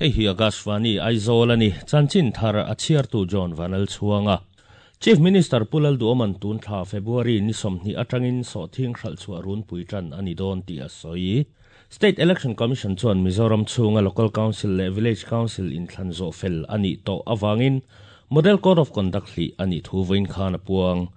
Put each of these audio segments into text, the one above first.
Hei hi Akashvani Aizawl a ni. Chanchin thar a chhiartu John Vanlalchhuanga. Chief Minister Pu Lalduhoma'n tun thla February ni 20 atangin sawhthing hralh chhuah runpui tan a ni dawn tih a sawi. State Election Commission chuan Mizoram chhunga Local Council leh Village Council inthlan zawh fel a nih tawh avangin Model Code of Conduct hlih a nih thu vawiin khan a puang.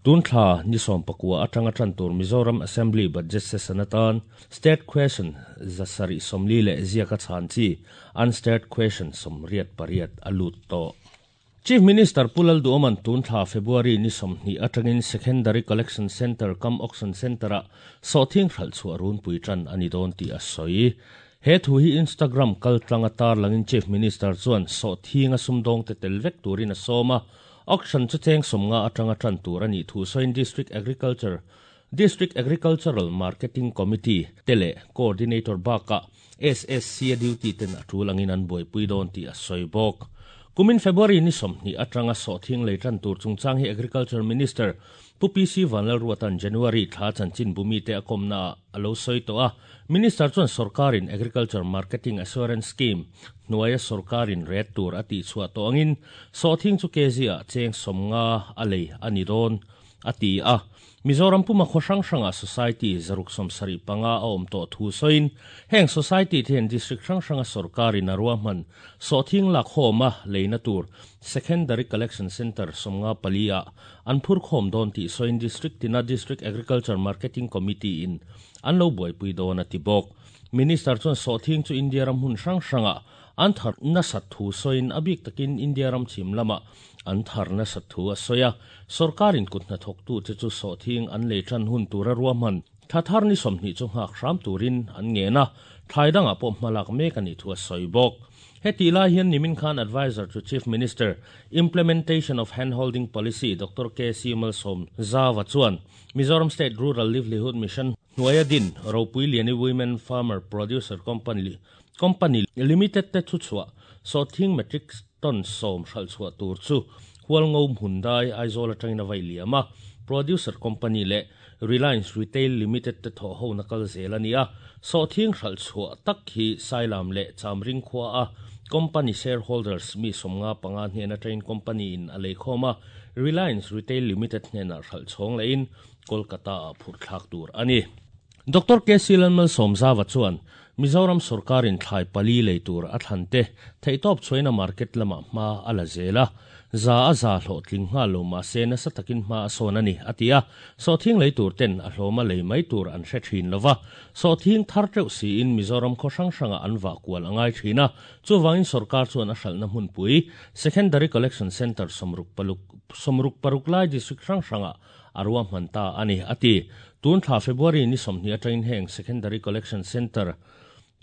Tun thla ni 19 atanga tan tur Mizoram Assembly Budget Session atan State Question 740 leh ziaka chhan chi Unstarred Question 88 a lut tawh. Chief Minister Pu Lalduhoma'n tun thla February ni 20 atangin Secondary Collection Centre cum Auction Centre-ah sawhthing hralh chhuah runpui tan a ni dawn tih a sawi. He thu hi Instagram kal tlanga tarlangin Chief Minister chuan sawhthinga sumdawng te tel vek turin a sawm a, auction chu cheng 50 atanga tan tur a nih thu sawiin District Agriculture District Agricultural Marketing Committee te leh Coordinator bakah SSC a duty ten a tul angin an buaipui dawn tih a sawi bawk. Kumin February ni 20 atanga sawhthing lei tan tur chungchang hi Agriculture Minister Pu PC Vanlalruata'n January thla chanchin bumi te a kawmna a lo sawi tawh a. Minister chuan sarkarin Agriculture Marketing Assurance Scheme hnuaia sarkarin ret tur a tih chhuah tawh angin sawhthing chu kg ah cheng 50 a lei a ni dawn a ti a. Mizoram puma khaw hrang hranga Society 675 a awm tawh thu sawiin heng Society te hian District hrang hranga sarkarin a ruahman sawhthing lak khawma leina tur Secondary Collection Centre 54 ah an phur khawm dawn tih sawiin District tina District Agriculture Marketing Committee in an lo buaipui dawn a ti bawk. Minister chuan sawhthing chu India ram hun hrang hranga an thar nasat thu sawiin a bik takin India ram chhim lama an thar nasat thu a sawi a. Sarkarin kut hnathawk tu che chu sawhthing an lei tan hun tur a ruahman thla thar ni 20 chu nghak hram turin an ngen a, thlai dangah pawh hmalak mek a nih thu a sawi bawk. Heti lai hian Nimin Khan Advisor to Chief Minister Implementation of Handholding Policy Dr. K.C. Malsawmzaua chuan Mizoram State Rural Livelihood Mission hnuaia din Ropuiliani Women Farmer Producer Company Company Limited te thu chhuah sawhthing metric ton 10 hralh chhuah tur chu Hualngo hmundai Aizawl atangin a vai liam a. Producer Company leh Reliance Retail Limited te thaw ho na kal zel a ni a. Sawhthing hralh chhuah tak hi Sailam leh Chamring khua a company shareholders mi 55 hnen atangin company in a lei khawm a. Reliance Retail Limited hnenah hralh chhawng lehin Kolkata ah phurh thlak tur a ni. Dr. K.C. Lalmalsawmzaua chuan Mizoram sarkarin thlai pali lei tur a thlan te theihtawp chhuaina market lama hma a la zel a. Za a za hlawh tling nghal lo mah se nasa takin hma a sawn a ni a ti a. Sawhthing lei tur ten a hlawma lei mai tur an hre thin lova. Sawhthing thar teuh siin Mizoram khaw hrang hranga an vah kual a ngai thin a. Chuwangin sarkar chuan a hralhna hmunpui Secondary Collection Centre 66 lai district hrang hranga a ruahman ta a ni a ti. Tun thla February ni 20 atangin heng Secondary Collection Centre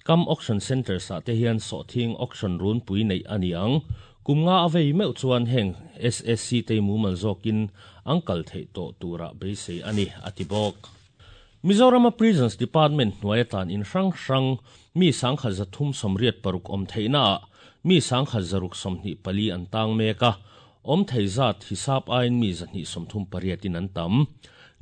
cum Auction Centre sa te hian sawhthing auction runpui nei a ni ang. Kum nga a vei meuh chuan heng SSC te mumal zawkin ang kal theih tawh tura beisei a ni a ti bawk. Mizoram Prisons Department hnuai atan in hrang hrang mi 1386 awm theihna ah mi 1624 an tang mek a. Awm thei zat hisap ain mi 238 in an tam.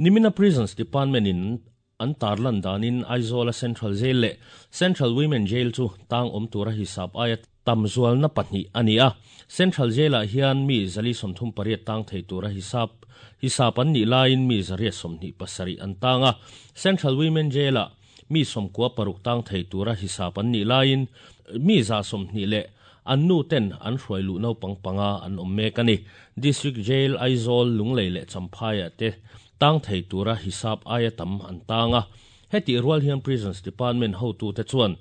Nimina Prisons Department in an tarlan danin Aizawl Central Jail leh Central Women Jail chu tang awm tura hisap aia tam zual na pahnih ani a. Central Jail ah hian mi 138 tang thei tura hisap hisap an ni laiin mi 127 an tang a. Central Women Jail ah mi 96 tang thei tura hisap an ni laiin mi 120 leh an nu ten an hruai lu no pang panga an awm mek ani. District Jail Aizawl Lunglei leh Champhai ah te tang thei tura hisap aia tam an tang a. Heti rual hian Prisons Department ho tu te chuan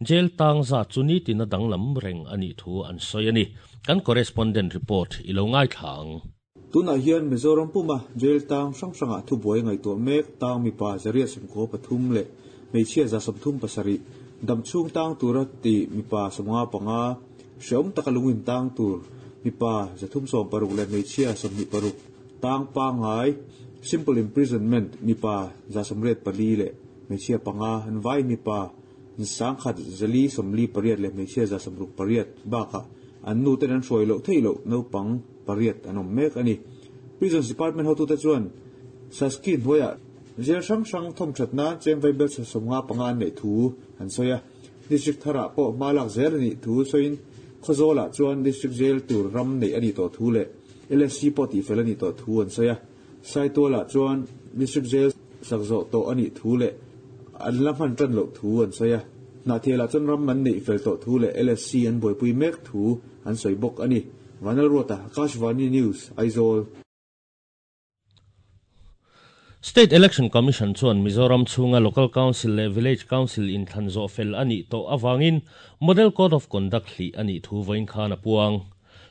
jail tang za chu ni tina danglam reng ani thu an sawi ani. Kan correspondent report ilo ngai thlang. Tunah hian Mizoram puma jail tang hrang hranga thu buai ngai tawh mek tang mipa 193 leh hmeichhia 137 damchhung tang tura ti mipa 55 hreawm taka lungin tang tur mipa 316 leh hmeichhia 26 tang pangai simple imprisonment mipa 84 leh hmeichhia 5 an vai mipa 148 leh hmeichhia 68 bakah an nu ten an hruai loh theih loh naupang pariat an awm mek ani. Prisons Department hotu te chuan Saski hnuaiah jail hrang hrang thawm thatna cheng vai bel 75 an nei thu an sawi a. District tharah pawh hma lak zel a nih thu sawiin Khawzawlah chuan District Jail tur ram neih a nih tawh thu leh LSC pawh tihfel a nih tawh thu an sawi a. Saitualah chuan District Jail sak zawh tawh a nih thu leh an la hman tan loh thu an sawi a. Hnahthialah chuan ram an neih fel tawh thu leh LSC an buaipui mek thu an sawi bawk a ni. Vanlalruata, Akashvani News, Aizawl. State Election Commission chuan Mizoram chhunga Local Council leh Village Council inthlan zawh fel a nih tawh avangin Model Code of Conduct hlih a nih thu vawiin khan a puang.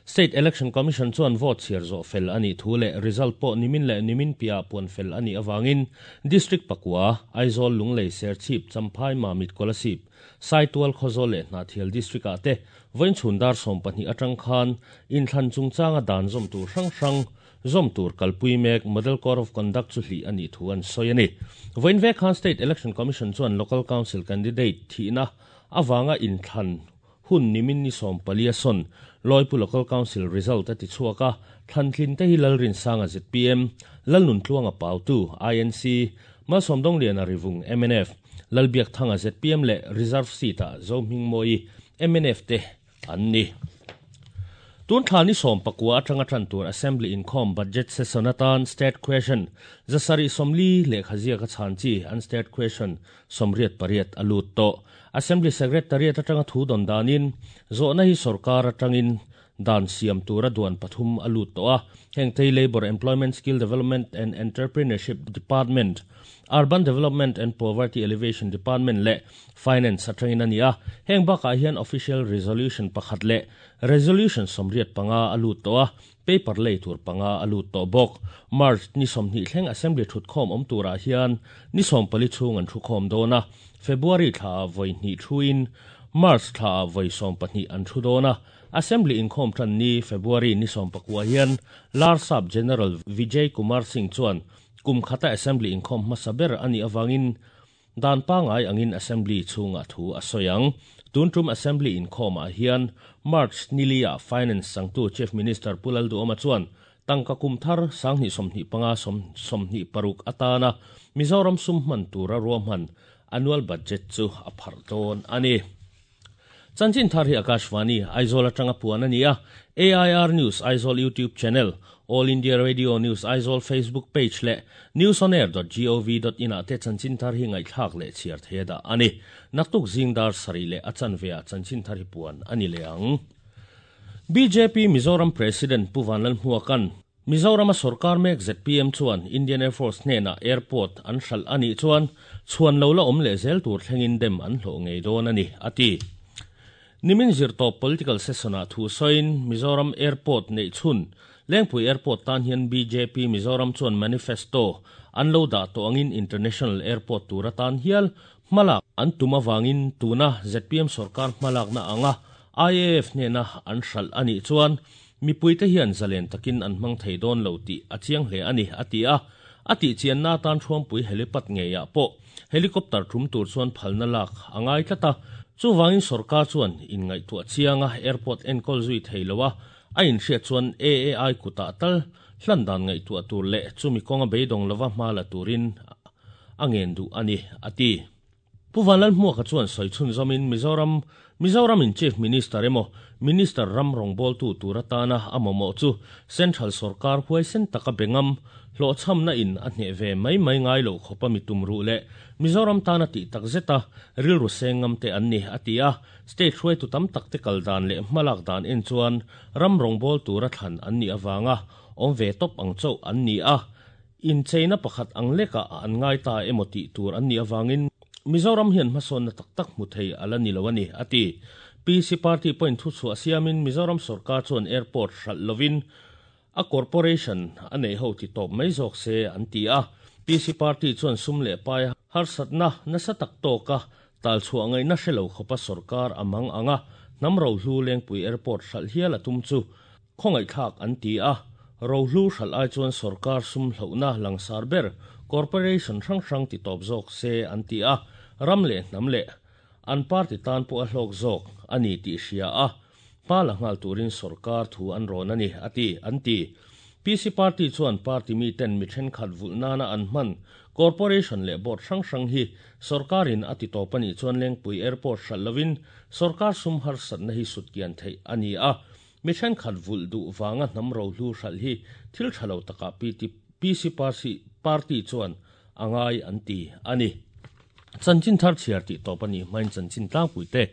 State Election Commission chuan vote chhiar zawh fel a nih thu leh result pawh nimin leh nimin piahah puan fel a nih avangin District pakua, Aizawl, Lunglei, Serchhip, Champhai, Mamit, Kolasib, Saitual, Khawzawl leh Hnahthial District-ah te vawiin chhun dar 12 atang khan inthlan chungchanga dan zawm tur hrang hrang Zawm tur kalpui mek Model Code of Conduct chu hlih a nih thu an sawi a ni. Vawiin vek khan State Election Commission chuan Local Council candidate thihna avanga inthlan hun nimin ni 14 a sawn Lawipu Local Council result a ti chhuak a, thlantlin te hi Lalrinsanga zpm, Lalnuntluanga Pautu, INC, Malsawmdawngliana Rivung, mnf, Lalbiakthanga zpm leh Reserve seat-ah Zohmingmawii, mnf te an ni. Tun thla ni 19 atanga tan tur Assembly inkhawm budget session atan State Question 740 lehkha ziaka chhan chi an State Question 88 a lut tawh. Assembly Secretariat atanga thu dawn danin zawhna hi sorkar atangin dan siam tura duan pathum a lut tawh a. Heng te hi Labour, Employment, Skill Development and Entrepreneurship Department, Urban Development and Poverty Alleviation Department leh Finance atangin a ni a. Heng bakah hian Official Resolution pakhat leh Resolution 85 a lut tawh a, paper lei tur panga a lut tawh bawk. March ni 20 thleng Assembly thutkhawm awm turah hian ni 14 chhung an thukhawm dawn a, February thlaah vawi hnih thuin March thlaah vawi 12 an thu dawn a. Assembly inkhawm tan ni February ni 19 hian Larsap General Vijay Kumar Singh chuan kum khata Assembly inkhawm hmasa ber a nih awangin dan pangai angin Assembly chhungah thu a sawi ang. Tun tum Assembly inkhawmah hian March nilia Finance sangtu Chief Minister Pu Lalduhoma chuan tangka kum thar 2025 26 atana Mizoram sum hman tura ruahman annual budget chu a pharh dawn a ni. Chanchin thar hi Akashvani, Aizawl atanga puan a ni a, AIR News Aizawl YouTube channel, All India Radio News Aizawl Facebook page leh newsonair.gov.in ah te chanchin thar hi ngaihthlak leh chhiar thei a dah a ni. Naktuk zing dar sarih leh a chanve ah chanchin thar hi puan a ni leh ang. BJP Mizoram President Pu Vanlalhmuaka'n Mizorama sorkar mek zpm chuan Indian Air Force hnenah airport an hralh a nih chuan chhuan lo la awm leh zel tur thlengin dem an hlawh ngei dawn a ni, a ti. Nimin zirtawp political session-ah thu sawiin Mizoram airport neih chhun Lengpui Airport tan hian bjp Mizoram chuan manifesto an lo dah tawh angin international airport tur atan hial hmalak an tum awangin tuna zpm sorkar hmalakna anga IAF hnena an hralh a nih chuan Mipuite hian zalen takin an hmang thei dawn lo tih a chiang hle a ni, a ti a. A tih chianna atan Thuampui helipad ngeiah pawh helicopter tum tur chuan phalna lak a ngai tlat a. Chuvangin sorkar chuan inngaihtuah chianga airport enkawl zui thei lo a, a inhriat chuan AAI kutah tal hlan dan ngaihtuah tur leh chumi kawnga beidawng lova hma la turin a ngen duh a ni, a ti. Pu Vanlalhmuaka chuan sawi chhunzawmin Mizoram Mizoramin Chief Minister emaw Minister ram rawngbawltu tur atana a mamawh chu Central sorkar huaisen taka be ngam hlawhchhamna in a hneh ve mai mai ngai loh khawpa mi tum ruh leh Mizoram tana tih tak zeta rilru seng ngam te an ni, a ti a. State hruaitu tam tak te kal dan leh hmalak dan en chuan ram rawngbawl tura thlan an nih avanga awm ve tawp ang chauh an ni a. Incheina pakhat ang lekah an ngai ta emaw tih tur an nih avangin Mizoram hian hmasawnna tak tak hmu thei a la ni lo a ni, a ti. PC Party pawhin thuchhuah siamin Mizoram sorkar chuan airport hralh lovin a corporation a neih ho ti tawp mai zawk se an ti a. PC Party chuan sum leh pai harsatna nasa tak tawka talchhuah ngaihna hre lo khawpa sorkar a mang ang a, hnam rohlu Lengpui Airport hralh hial a tum chu Khawngaihthlak an ti a, rohlu hralh ai chuan sorkar sum hlohna langsar ber corporation hrang hrang ti tawp zawk se an ti a, ram leh hnam leh an party tan pawh a hlawk zawk a ni tih hria a, hma la nghal turin sorkar thu an rawn a ni, a ti, an ti. PC Party chuan party miten mi thenkhat vulh nana an hman Corporation leh Board hrang hrang hi sorkarin a ti tawp a nih chuan Lengpui Airport hralh lovin sorkar sum harsatna hi sutkian theih a ni a. Mi thenkhat vulh duh vanga hnam rohlu hralh hi thil tha lo takah PC Party chuan a ngai an ti a ni. Chanchin thar chhiar tih tawp a nih hmain chanchin tlangpui te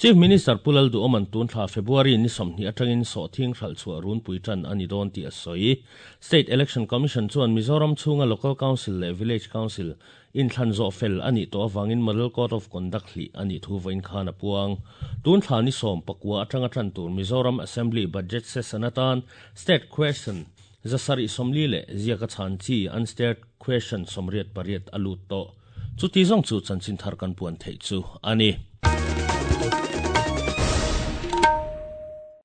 Chief Minister Pu Lalduhawman tun thla February ni 20 atangin sawhthing hralh chhuah runpui tan a ni dawn tih a sawi. State Election Commission chuan Mizoram chhunga Local Council leh Village Council inthlan zawh fel a nih tawh avangin Model Code of Conduct hlih a nih thu vawiin khan a puang. Tun thla ni 19 atanga tan tur Mizoram Assembly Budget Session atan State Question 740 leh ziaka chhan chi Unstarred Question 88 a lut tawh. Chuti zawng chu chanchin thar kan puan theih chu a ni.